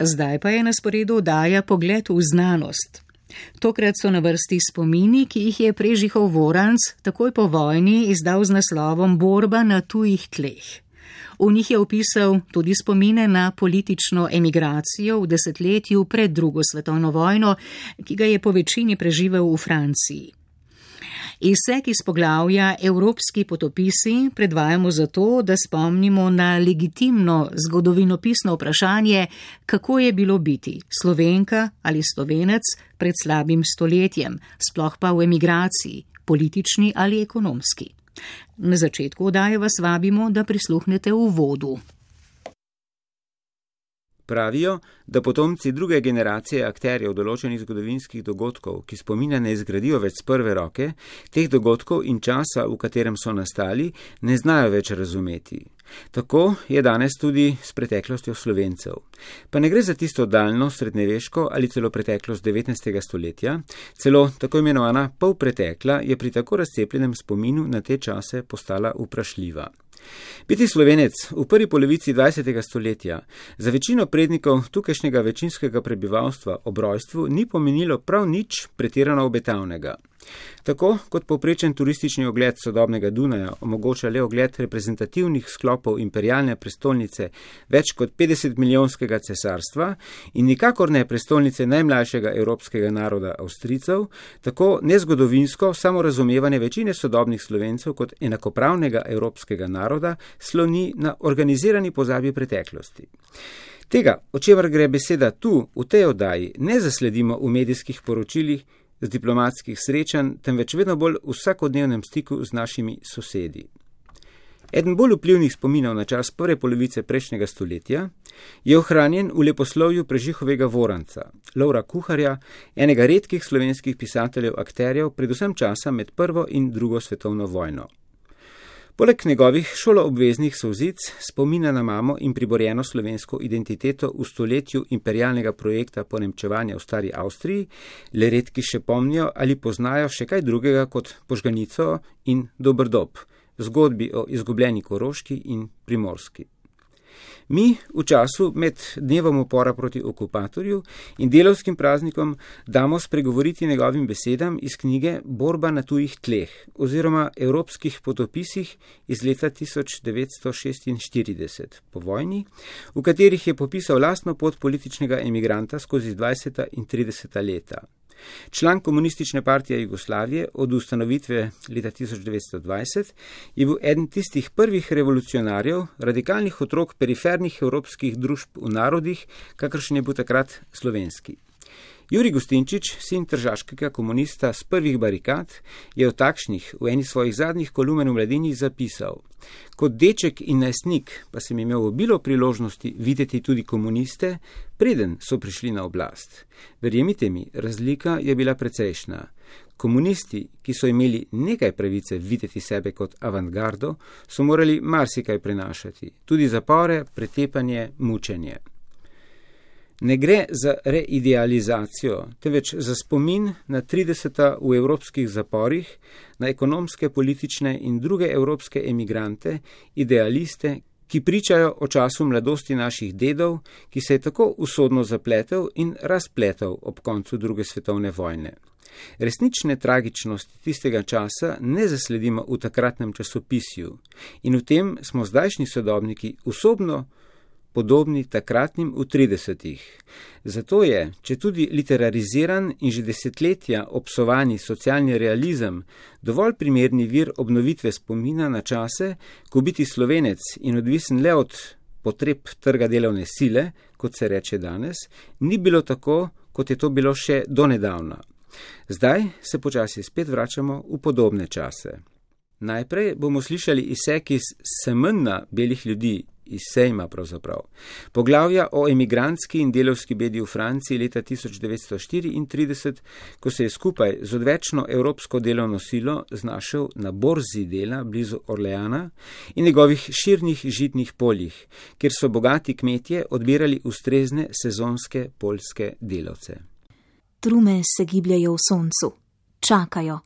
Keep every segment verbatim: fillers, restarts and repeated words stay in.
Zdaj pa je na sporedu oddaja Pogled v znanost. Tokrat so na vrsti spomini, ki jih je Prežihov Voranc takoj po vojni izdal z naslovom Borba na tujih tleh. V njih je opisal tudi spomine na politično emigracijo v desetletju pred drugo svetovno vojno, ki ga je po večini preživel v Franciji. Izsek iz poglavja Evropski potopisi predvajamo zato, da spomnimo na legitimno zgodovinopisno vprašanje, kako je bilo biti Slovenka ali Slovenec pred slabim stoletjem, sploh pa v emigraciji, politični ali ekonomski. Na začetku oddaje vas vabimo, da prisluhnete uvodu. Pravijo, da potomci druge generacije akterjev določenih zgodovinskih dogodkov, ki spomina ne izgradijo več z prve roke, teh dogodkov in časa, v katerem so nastali, ne znajo več razumeti. Tako je danes tudi s preteklostjo Slovencev. Pa ne gre za tisto daljno srednjeveško ali celo preteklost devetnajstega stoletja, celo tako imenovana polpretekla je pri tako razcepljenem spominu na te čase postala vprašljiva. Biti Slovenec v prvi polovici dvajsetega stoletja za večino prednikov tukajšnjega večinskega prebivalstva ob rojstvu ni pomenilo prav nič pretirano obetavnega. Tako kot povprečen turistični ogled sodobnega Dunaja omogoča le ogled reprezentativnih sklopov imperialne prestolnice več kot petdeset milijonskega cesarstva in nikakor ne prestolnice najmlajšega evropskega naroda Avstrijcev, tako nezgodovinsko samorazumevanje večine sodobnih Slovencev kot enakopravnega evropskega naroda sloni na organizirani pozabi preteklosti. Tega, o čemer gre beseda tu, v tej oddaji, ne zasledimo v medijskih poročilih, z diplomatskih srečanj, temveč vedno bolj v vsakodnevnem stiku z našimi sosedi. Eden bolj vplivnih spominov na čas prve polovice prejšnjega stoletja je ohranjen v leposlovju Prežihovega Voranca, Lovra Kuharja, enega redkih slovenskih pisateljev akterjev, predvsem časa med prvo in drugo svetovno vojno. Poleg njegovih šoloobveznih solzic, spomina na mamo in priborjeno slovensko identiteto v stoletju imperialnega projekta ponemčevanja v stari Avstriji, le redki še pomnijo ali poznajo še kaj drugega kot Požganico in Doberdob, zgodbi o izgubljeni Koroški in Primorski. Mi v času med dnevom upora proti okupatorju in delavskim praznikom damo spregovoriti njegovim besedam iz knjige Borba na tujih tleh oziroma Evropskih potopisih iz leta tisoč devetsto šestinštirideset po vojni, v katerih je popisal lastno pot političnega emigranta skozi dvajseta in trideseta leta. Član Komunistične partije Jugoslavije od ustanovitve leta tisoč devetsto dvajset je bil eden tistih prvih revolucionarjev, radikalnih otrok perifernih evropskih družb v narodih, kakršen je bil takrat slovenski. Jurij Gustinčič, sin tržaškega komunista z prvih barikad, je o takšnih v eni svojih zadnjih kolumen v Mladini zapisal: Kot deček in najstnik pa sem imel obilo priložnosti videti tudi komuniste, preden so prišli na oblast. Verjemite mi, razlika je bila precejšnja. Komunisti, ki so imeli nekaj pravice videti sebe kot avantgardo, so morali marsikaj prenašati, tudi zapore, pretepanje, mučenje. Ne gre za reidealizacijo, temveč za spomin na trideseta v evropskih zaporih, na ekonomske, politične in druge evropske emigrante, idealiste, ki pričajo o času mladosti naših dedov, ki se je tako usodno zapletel in razpletel ob koncu druge svetovne vojne. Resnične tragičnosti tistega časa ne zasledimo v takratnem časopisju in v tem smo zdajšnji sodobniki osobno podobni takratnim v tridesetih. Zato je, če tudi literariziran in že desetletja obsovani socialni realizem, dovolj primerni vir obnovitve spomina na čase, ko biti Slovenec in odvisen le od potreb trga delovne sile, kot se reče danes, ni bilo tako, kot je to bilo še donedavna. Zdaj se počasi spet vračamo v podobne čase. Najprej bomo slišali izsek iz Semena belih ljudi, iz sejma pravzaprav. Poglavja o emigrantski in delavski bedi v Franciji leta tisoč devetsto štiriintrideset, ko se je skupaj z odvečno evropsko delovno silo znašel na borzi dela blizu Orleana in njegovih širnih žitnih poljih, kjer so bogati kmetje odbirali ustrezne sezonske poljske delavce. Trume se gibljajo v soncu. Čakajo.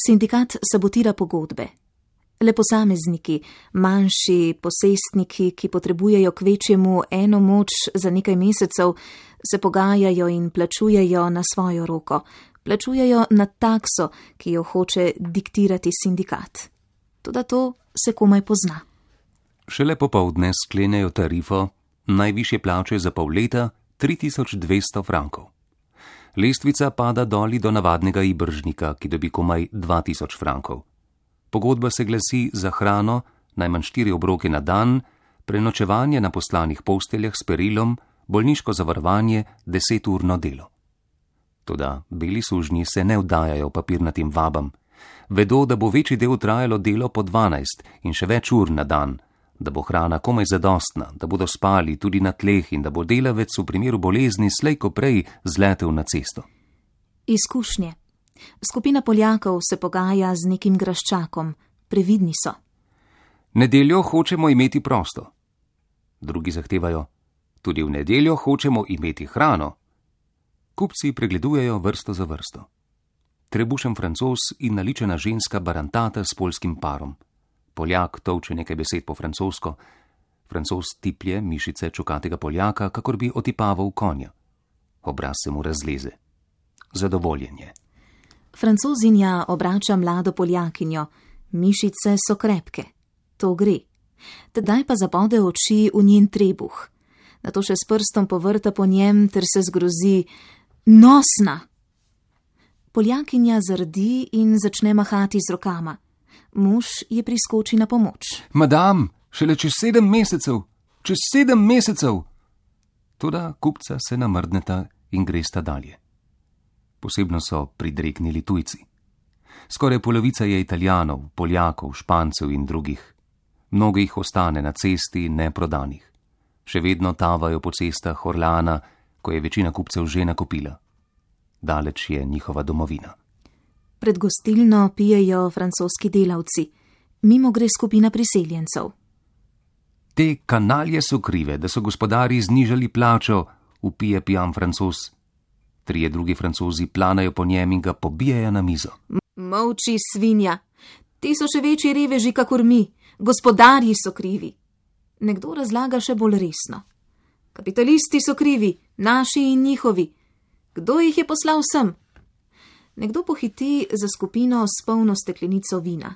Sindikat sabotira pogodbe. Le posamezniki, manjši posestniki, ki potrebujejo kvečjemu eno moč za nekaj mesecev, se pogajajo in plačujejo na svojo roko. Plačujejo na takso, ki jo hoče diktirati sindikat. Toda to se komaj pozna. Šele popoldne sklenejo tarifo, najvišje plače za pol leta, tri tisoč dvesto frankov. Lestvica pada doli do navadnega ibržnika, ki dobi komaj dva tisoč frankov. Pogodba se glasi za hrano, najmanj štiri obroke na dan, prenočevanje na poslanih posteljah s perilom, bolniško zavarovanje, deseturno delo. Toda beli sužnji se ne vdajajo papirnatim vabam. Vedo, da bo večji del trajalo delo po dvanajst in še več ur na dan, da bo hrana komaj zadostna, da bodo spali tudi na tleh in da bo delavec v primeru bolezni slej ko prej zletel na cesto. Izkušnje. Skupina Poljakov se pogaja z nekim graščakom. Previdni so. Nedeljo hočemo imeti prosto. Drugi zahtevajo. Tudi v nedeljo hočemo imeti hrano. Kupci pregledujejo vrsto za vrsto. Trebušen Francoz in naličena ženska barantata s poljskim parom. Poljak tolče nekaj besed po francosko. Francoz tiplje mišice čukatega Poljaka, kakor bi otipaval konja. Obraz se mu razleze. Zadovoljen je. Francozinja obrača mlado Poljakinjo. Mišice so krepke. To gre. Tedaj pa zabode oči v njen trebuh. Nato še s prstom povrta po njem ter se zgrozi. Nosna! Poljakinja zardi in začne mahati z rokama. Mož je priskoči na pomoč. Madam, šele čez sedem mesecev, čez sedem mesecev! Toda kupca se namrdneta in gresta dalje. Posebno so pridreknili tujci. Skoraj polovica je Italijanov, Poljakov, Špancev in drugih. Mnogo jih ostane na cesti neprodanih. Še vedno tavajo po cestah Orleana, ko je večina kupcev že nakupila. Daleč je njihova domovina. Pred gostilno pijejo francoski delavci. Mimo gre skupina priseljencev. Te kanalje so krive, da so gospodari znižali plačo, vpije pijan Francoz. Trije drugi Francozi planajo po njem in ga pobijajo na mizo. Molči, svinja. Ti so še večji reveži kakor mi. Gospodarji so krivi. Nekdo razlaga še bolj resno. Kapitalisti so krivi, naši in njihovi. Kdo jih je poslal sem? Nekdo pohiti za skupino s polno steklenico vina.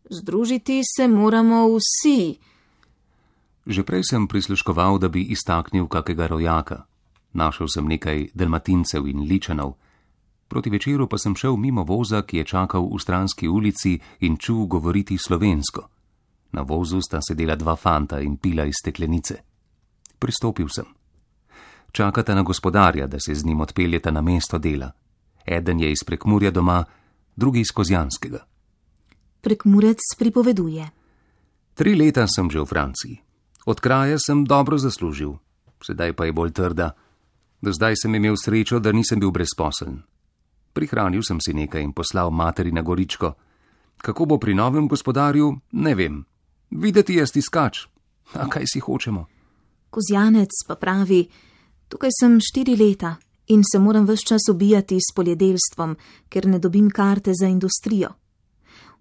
Združiti se moramo vsi. Že prej sem prisluškoval, da bi iztaknil kakega rojaka. Našel sem nekaj dalmatincev in ličanov. Proti večeru pa sem šel mimo voza, ki je čakal v stranski ulici in čul govoriti slovensko. Na vozu sta sedela dva fanta in pila iz steklenice. Pristopil sem. Čakata na gospodarja, da se z njim odpeljeta na mesto dela. Eden je iz Prekmurja doma, drugi iz Kozjanskega. Prekmurec pripoveduje. Tri leta sem že v Franciji. Od kraja sem dobro zaslužil, sedaj pa je bolj trda. Do zdaj sem imel srečo, da nisem bil brezposeln. Prihranil sem si nekaj in poslal materi na Goričko. Kako bo pri novem gospodarju, ne vem. Videti je stiskač. A kaj si hočemo? Kozjanec pa pravi, tukaj sem štiri leta in se moram ves čas ubijati s poljedelstvom, ker ne dobim karte za industrijo.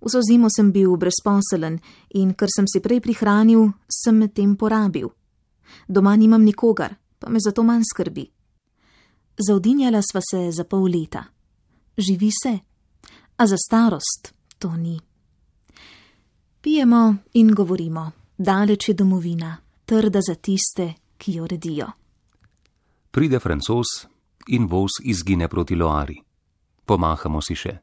Vso zimo sem bil brezposelen in ker sem si prej prihranil, sem med tem porabil. Doma nimam nikogar, pa me zato manj skrbi. Zaudinjala sva se za pol leta. Živi se, a za starost to ni. Pijemo in govorimo, daleč je domovina, trda za tiste, ki jo redijo. Pride Francoz in voz izgine proti Loari. Pomahamo si še.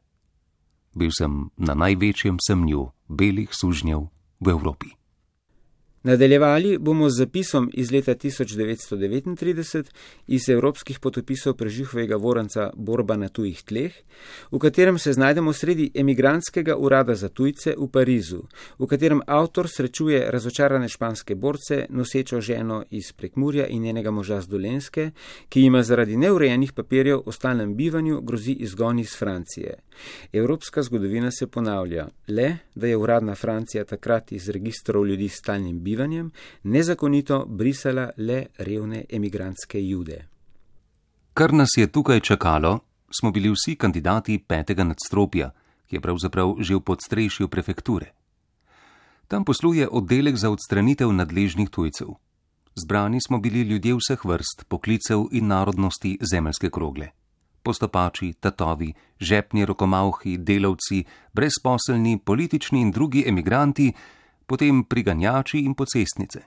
Bil sem na največjem semnju belih sužnjev v Evropi. Nadaljevali bomo z zapisom iz leta tisoč devetsto devetintrideset iz evropskih potopisov Preživhovega Voranca Borba na tujih tleh, v katerem se znajdemo sredi emigrantskega urada za tujce v Parizu, v katerem avtor srečuje razočarane španske borce, nosečo ženo iz Prekmurja in njenega moža z Dolenjske, ki jima zaradi neurejenih papirjev o stalnem bivanju grozi izgon iz Francije. Evropska zgodovina se ponavlja, le da je uradna Francija takrat iz registrov ljudi s stalnim bivanjem nezakonito brisala le revne emigrantske Jude. Kar nas je tukaj čakalo, smo bili vsi kandidati petega nadstropja, ki je pravzaprav že v podstrešju prefekture. Tam posluje oddelek za odstranitev nadležnih tujcev. Zbrani smo bili ljudje vseh vrst, poklicev in narodnosti zemeljske krogle. Postopači, tatovi, žepni rokomavhi, delavci, brezposelni, politični in drugi emigranti, potem priganjači in pocestnice.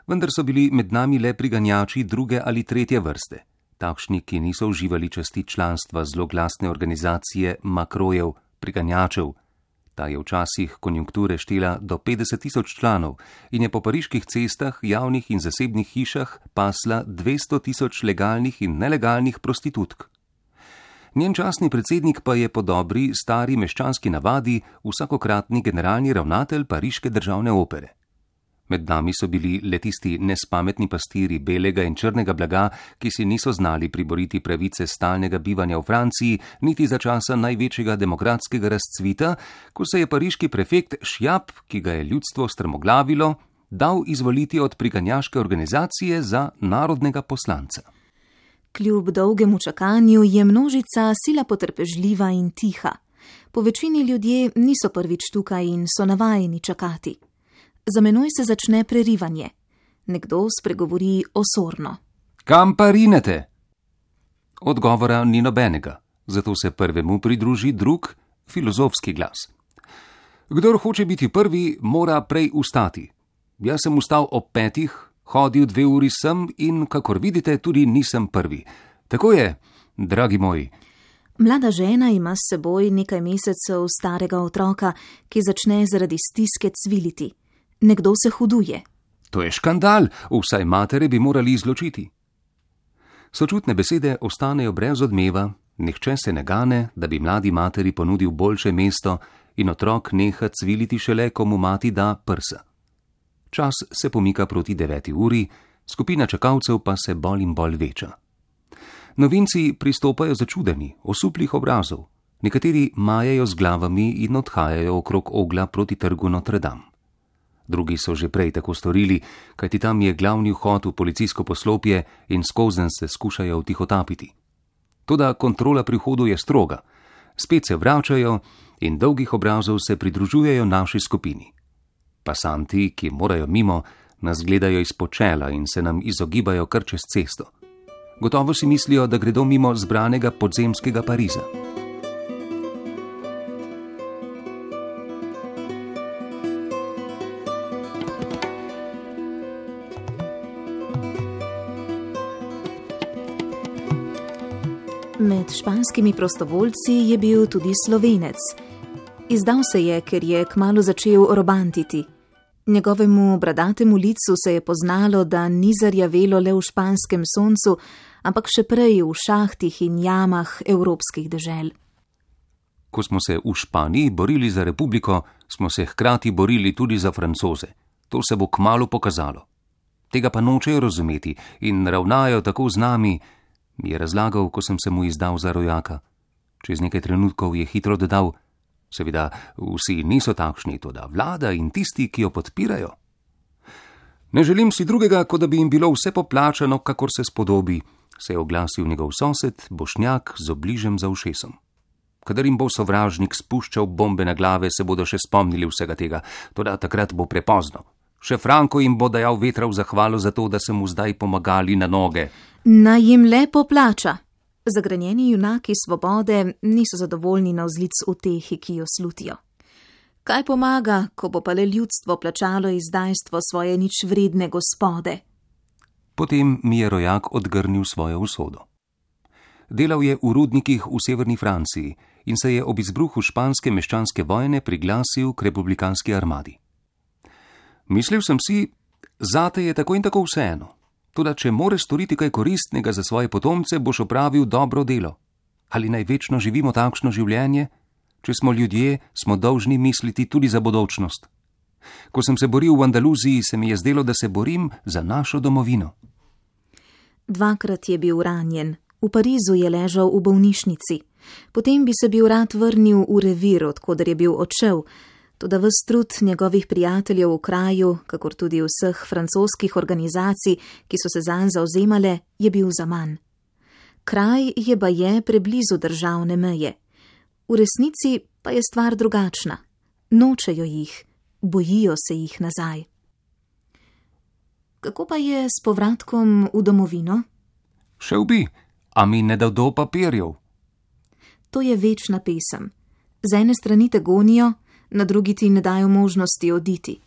Vendar so bili med nami le priganjači druge ali tretje vrste, takšni, ki niso uživali časti članstva zloglasne organizacije makrojev, priganjačev. Ta je včasih konjunkture štela do petdeset tisoč članov in je po pariških cestah, javnih in zasebnih hišah pasla dvesto tisoč legalnih in nelegalnih prostitutk. Njen častni predsednik pa je po dobri, stari meščanski navadi vsakokratni generalni ravnatelj Pariške državne opere. Med nami so bili le tisti nespametni pastiri belega in črnega blaga, ki si niso znali priboriti pravice stalnega bivanja v Franciji, niti za časa največjega demokratskega razcvita, ko se je pariški prefekt Šjap, ki ga je ljudstvo strmoglavilo, dal izvoliti od priganjaške organizacije za narodnega poslanca. Kljub dolgemu čakanju je množica sila potrpežljiva in tiha. Po večini ljudje niso prvič tukaj in so navajeni čakati. Za menoj se začne prerivanje. Nekdo spregovori osorno. Kam pa rinete? Odgovora ni nobenega, zato se prvemu pridruži drug, filozofski glas. Kdor hoče biti prvi, mora prej ustati. Jaz sem ustal ob petih, hodil dve uri sem in, kakor vidite, tudi nisem prvi. Tako je, dragi moji. Mlada žena ima s seboj nekaj mesecev starega otroka, ki začne zaradi stiske cviliti. Nekdo se huduje. To je škandal, vsaj matere bi morali izločiti. Sočutne besede ostanejo brez odmeva, nihče se ne gane, da bi mladi materi ponudil boljše mesto in otrok neha cviliti šele, ko mu mati da prsa. Čas se pomika proti deveti uri, skupina čakalcev pa se bolj in bolj veča. Novinci pristopajo začudeni, osuplih obrazov, nekateri majajo z glavami in odhajajo okrog ogla proti trgu Notre Dame. Drugi so že prej tako storili, kajti tam je glavni vhod v policijsko poslopje in skozenj se skušajo vtihotapiti. Toda kontrola pri vhodu je stroga. Spet se vračajo in dolgih obrazov se pridružujejo naši skupini. Pasanti, ki morajo mimo, nas gledajo izpod čela in se nam izogibajo kar čez cesto. Gotovo si mislijo, da gredo mimo zbranega podzemskega Pariza. Med španskimi prostovoljci je bil tudi Slovenec. Izdal se je, ker je kmalu začel robantiti. Njegovemu bradatemu licu se je poznalo, da ni zarjavelo le v španskem soncu, ampak še prej v šahtih in jamah evropskih dežel. Ko smo se v Španiji borili za republiko, smo se hkrati borili tudi za Francoze. To se bo kmalu pokazalo. Tega pa nočejo razumeti in ravnajo tako z nami, mi je razlagal, ko sem se mu izdal za rojaka. Čez nekaj trenutkov je hitro dodal, seveda vsi niso takšni, toda vlada in tisti, ki jo podpirajo. Ne želim si drugega, kot da bi jim bilo vse poplačano, kakor se spodobi, se je oglasil njegov sosed, Bošnjak z obližem za ušesom. Kadar jim bo sovražnik spuščal bombe na glave, se bodo še spomnili vsega tega, toda takrat bo prepozno. Še Franko jim bo dajal vetra v zahvalo za to, da so mu zdaj pomagali na noge. Naj jim le poplača. Zagrenjeni junaki svobode niso zadovoljni na vzlic utehi, ki jo slutijo. Kaj pomaga, ko bo pa le ljudstvo plačalo izdajstvo svoje nič vredne gospode? Potem mi je rojak odgrnil svojo usodo. Delal je v rudnikih v severni Franciji in se je ob izbruhu španske meščanske vojne priglasil k republikanski armadi. Mislil sem si, zate je tako in tako vseeno. Toda če moreš storiti kaj koristnega za svoje potomce, boš opravil dobro delo. Ali naj večno živimo takšno življenje? Če smo ljudje, smo dolžni misliti tudi za bodočnost. Ko sem se boril v Andaluziji, se mi je zdelo, da se borim za našo domovino. Dvakrat je bil ranjen. V Parizu je ležal v bolnišnici. Potem bi se bil rad vrnil v revir, odkoder je bil odšel, toda ves trud njegovih prijateljev v kraju, kakor tudi vseh francoskih organizacij, ki so se zanj zauzemale, je bil zaman. Kraj je baje preblizu državne meje. V resnici pa je stvar drugačna. Nočejo jih. bojijo se jih nazaj. Kako pa je s povratkom v domovino? Šel bi, a mi ne dal do papirjev. To je večna pesem. Z ene strani te gonijo, na drugi ti ne dajo možnosti oditi.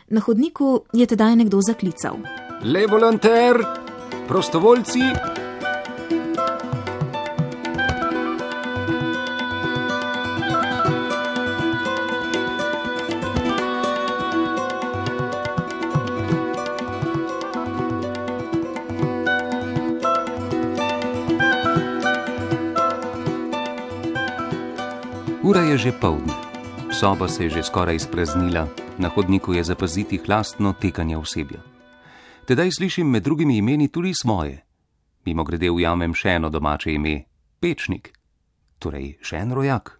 Na hodniku je tedaj nekdo zaklical. Le volonter, prostovoljci. Ura je že poldne. Soba se je že skoraj izpraznila, na hodniku je zapaziti hlastno tekanje osebja. Tedaj slišim med drugimi imeni tudi svoje. Mimogrede ujamem še eno domače ime, Pečnik, torej še en rojak.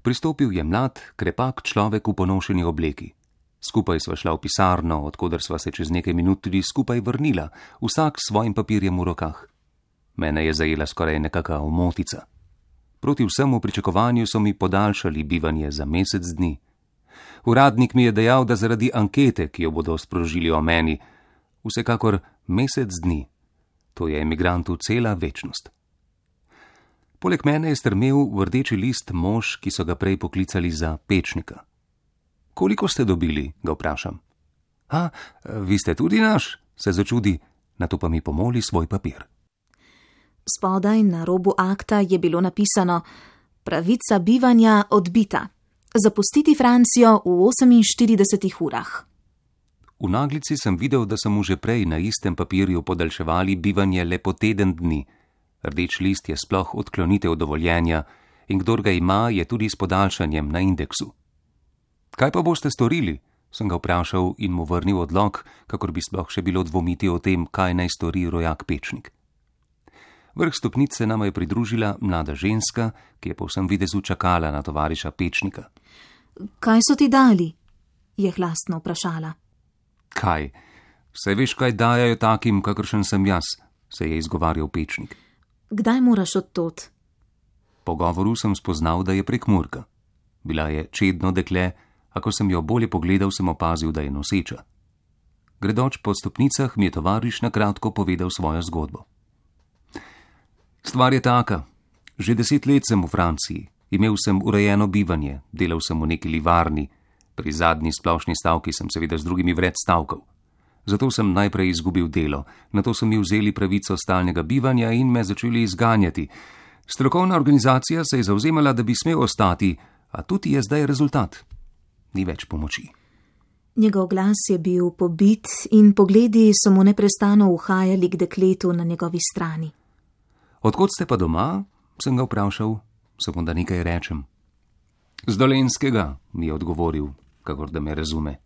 Pristopil je mlad, krepak človek v ponošeni obleki. Skupaj sva šla v pisarno, odkoder sva se čez nekaj minut tudi skupaj vrnila, vsak s svojim papirjem v rokah. Mene je zajela skoraj nekaka omotica. Proti vsemu pričakovanju so mi podaljšali bivanje za mesec dni. Uradnik mi je dejal, da zaradi ankete, ki jo bodo sprožili o meni, vsekakor mesec dni. To je emigrantu cela večnost. Poleg mene je strmel v rdeči list mož, ki so ga prej poklicali za Pečnika. Koliko ste dobili, ga vprašam. A, vi ste tudi naš, se začudi, nato pa mi pomoli svoj papir. Spodaj na robu akta je bilo napisano: pravica bivanja odbita. Zapustiti Francijo v oseminštiridesetih urah. V naglici sem videl, da so mu že prej na istem papirju podaljševali bivanje le po teden dni. Rdeč list je sploh odklonitev dovoljenja in kdor ga ima, je tudi s podaljšanjem na indeksu. Kaj pa boste storili? Sem ga vprašal in mu vrnil odlog, kakor bi sploh še bilo dvomiti o tem, kaj naj stori rojak Pečnik. Vrh stopnice nama je pridružila mlada ženska, ki je po vsem videzu čakala na tovariša Pečnika. Kaj so ti dali? Je hlastno vprašala. Kaj? Saj veš, kaj dajajo takim, kakršen sem jaz, se je izgovarjal Pečnik. Kdaj moraš odtot? Po govoru sem spoznal, da je Prekmurka. Bila je čedno dekle, a ko sem jo bolje pogledal, sem opazil, da je noseča. Gredoč po stopnicah mi je tovariš na kratko povedal svojo zgodbo. Stvar je taka. Že deset let sem v Franciji. Imel sem urejeno bivanje, delal sem v neki livarni. Pri zadnji splošni stavki sem seveda z drugimi vred stavkal. Zato sem najprej izgubil delo, nato so mi vzeli pravico stalnega bivanja in me začeli izganjati. Strokovna organizacija se je zavzemala, da bi smel ostati, a tudi je zdaj rezultat. Ni več pomoči. Njegov glas je bil pobit in pogledi so mu neprestano uhajali k dekletu na njegovi strani. Odkot ste pa doma? Sem ga vprašal, samo da nekaj rečem. Z Dolenskega, mi je odgovoril, kakor da me razume.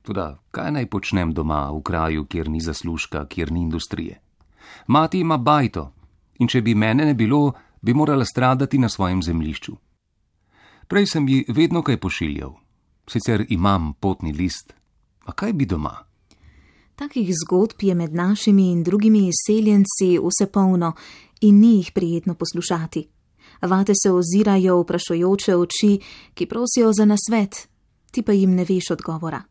Toda, kaj naj počnem doma, v kraju, kjer ni zaslužka, kjer ni industrije? Mati ima bajto in če bi mene ne bilo, bi morala stradati na svojem zemljišču. Prej sem ji vedno kaj pošiljal. Sicer imam potni list. A kaj bi doma? Takih zgodb je med našimi in drugimi izseljenci vse polno in ni jih prijetno poslušati. Vate se ozirajo vprašujoče oči, ki prosijo za nasvet, ti pa jim ne veš odgovora.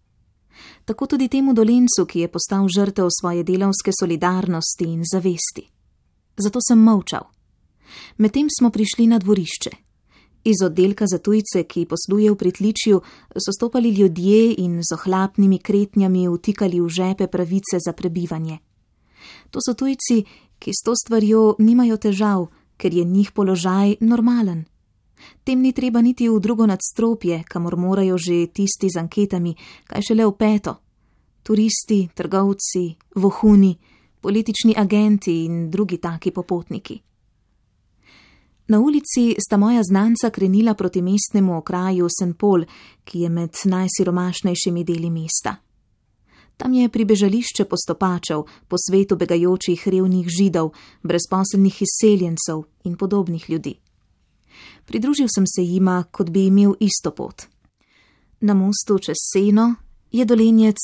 Tako tudi temu Dolencu, ki je postal žrtev svoje delavske solidarnosti in zavesti. Zato sem molčal. Medtem smo prišli na dvorišče. Iz oddelka za tujce, ki posluje v pritličju, so stopali ljudje in z ohlapnimi kretnjami vtikali v žepe pravice za prebivanje. To so tujci, ki s to stvarjo nimajo težav, ker je njih položaj normalen. Tem ni treba niti v drugo nadstropje, kamor morajo že tisti z anketami, kaj šele v peto. Turisti, trgovci, vohuni, politični agenti in drugi taki popotniki. Na ulici sta moja znanca krenila proti mestnemu okraju Saint-Paul, ki je med najsiromašnejšimi deli mesta. Tam je pribežališče postopačev, po svetu begajočih revnih Židov, brezposelnih izseljencev in podobnih ljudi. Pridružil sem se jima, kot bi imel isto pot. Na mostu čez Seno je Dolenjec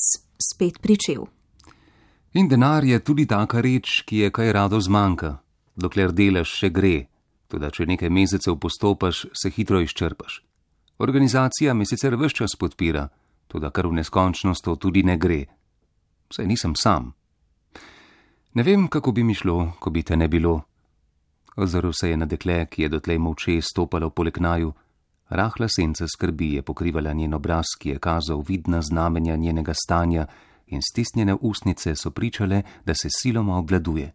spet pričel. In denar je tudi taka reč, ki je kaj rado zmanjka, dokler delaš še gre, toda če nekaj mesecev postopaš, se hitro izčrpaš. Organizacija me sicer ves čas podpira, toda kar v neskončnost to tudi ne gre. Saj nisem sam. Ne vem, kako bi mi šlo, ko bi te ne bilo. Ozrl se je na dekle, ki je dotlej molče stopalo poleg naju. Rahla senca skrbi je pokrivala njen obraz, ki je kazal vidna znamenja njenega stanja, in stisnjene ustnice so pričale, da se siloma obvladuje.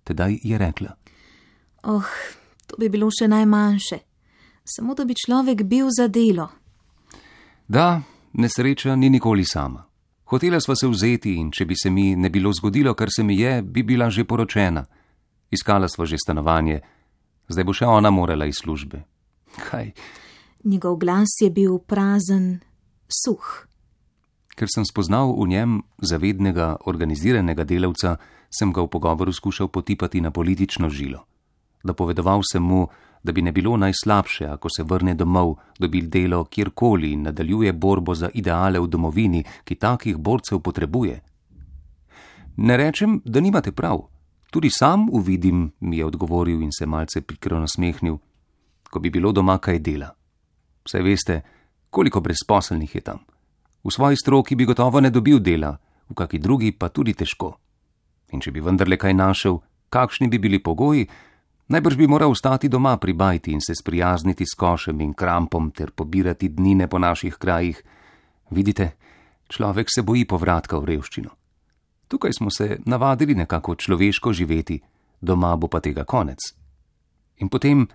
Tedaj je rekla: Oh, to bi bilo še najmanjše. Samo da bi človek bil za delo. Da, nesreča ni nikoli sama. Hotela sva se vzeti in če bi se mi ne bilo zgodilo, kar se mi je, bi bila že poročena. Iskala sva že stanovanje, zdaj bo še ona morala iz službe. Kaj? Njegov glas je bil prazen, suh. Ker sem spoznal v njem zavednega, organiziranega delavca, sem ga v pogovoru skušal potipati na politično žilo. Dopovedoval sem mu, da bi ne bilo najslabše, ako se vrne domov, dobi delo kjerkoli in nadaljuje borbo za ideale v domovini, ki takih borcev potrebuje. Ne rečem, da nimate prav. Tudi sam uvidim, mi je odgovoril in se malce pikro nasmehnil, ko bi bilo doma kaj dela. Saj veste, koliko brezposelnih je tam. V svoji stroki bi gotovo ne dobil dela, v kaki drugi pa tudi težko. In če bi vendarle kaj našel, kakšni bi bili pogoji, najbrž bi moral ostati doma pri bajti in se sprijazniti s košem in krampom ter pobirati dnine po naših krajih. Vidite, človek se boji povratka v revščino. Tukaj smo se navadili nekako človeško živeti, doma bo pa tega konec. In potem,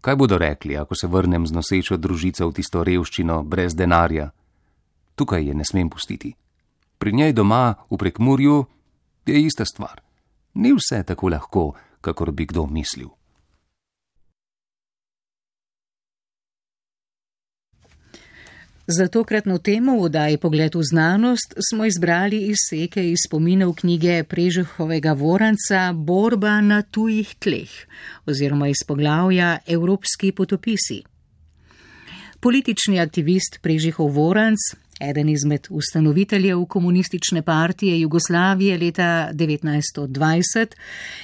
kaj bodo rekli, ako se vrnem z nosečo družico v tisto revščino brez denarja? Tukaj je ne smem pustiti. Pri njej doma v Prekmurju je ista stvar. Ni vse tako lahko, kakor bi kdo mislil. Za tokratno temo v oddaji Pogled v znanost smo izbrali izseke iz spominov knjige Prežehovega Voranca Borba na tujih tleh oziroma iz poglavja Evropski potopisi. Politični aktivist Prežihov Voranc, eden izmed ustanoviteljev komunistične partije Jugoslavije leta devetnajststo dvajset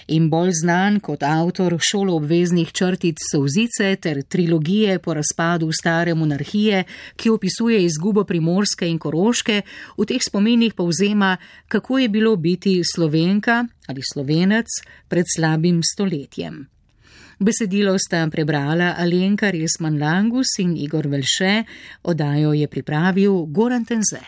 in bolj znan kot avtor šoloobveznih črtic Solzice ter trilogije po razpadu stare monarhije, ki opisuje izgubo Primorske in Koroške, v teh spominih povzema, kako je bilo biti Slovenka ali Slovenec pred slabim stoletjem. Besedilo sta prebrala Alenka Resman Langus in Igor Velše, oddajo je pripravil Goran Tenze.